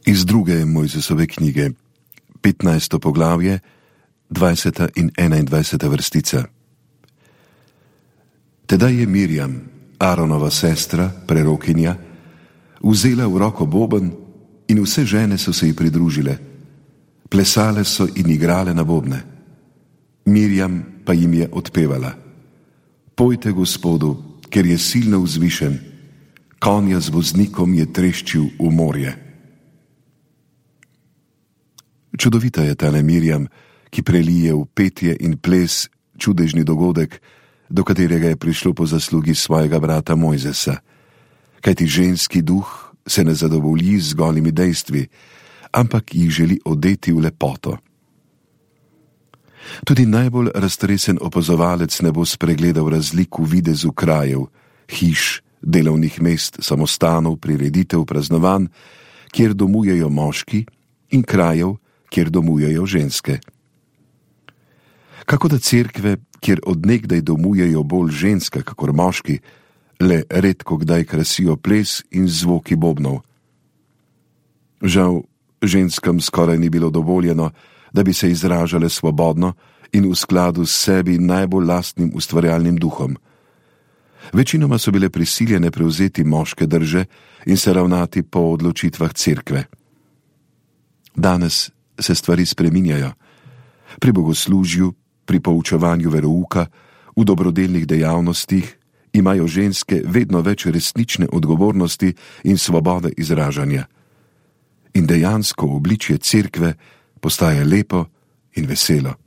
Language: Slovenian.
Iz druge Mojzesove knjige, 15. poglavje, 20. in 21. vrstica. Tedaj je Mirjam, Aaronova sestra, prerokinja, vzela v roko boben in vse žene so se ji pridružile. Plesale so in igrale na bobne. Mirjam pa jim je odpevala: Pojte Gospodu, ker je silno vzvišen, konja z voznikom je treščil v morje. Čudovita je tale Mirjam, ki prelije v petje in ples čudežni dogodek, do katerega je prišlo po zaslugi svojega brata Mojzesa. Kajti ženski duh se ne zadovolji z golimi dejstvi, ampak jih želi odeti v lepoto. Tudi najbolj raztresen opazovalec ne bo spregledal razlik v videzu krajev, hiš, delovnih mest, samostanov, prireditev, praznovanj, kjer domujejo moški, in krajev, kjer domujejo ženske. Kako da cerkve, kjer odnegdaj domujejo bolj ženske kakor moški, le redko kdaj krasijo ples in zvoki bobnov. Žal, ženskam skoraj ni bilo dovoljeno, da bi se izražale svobodno in v skladu s sebi najbolj lastnim ustvarjalnim duhom. Večinoma so bile prisiljene prevzeti moške drže in se ravnati po odločitvah cerkve. Danes se stvari spreminjajo. Pri bogoslužju, pri poučevanju verouka, v dobrodelnih dejavnostih imajo ženske vedno več resnične odgovornosti in svobode izražanja. In dejansko obličje cerkve postaje lepo in veselo.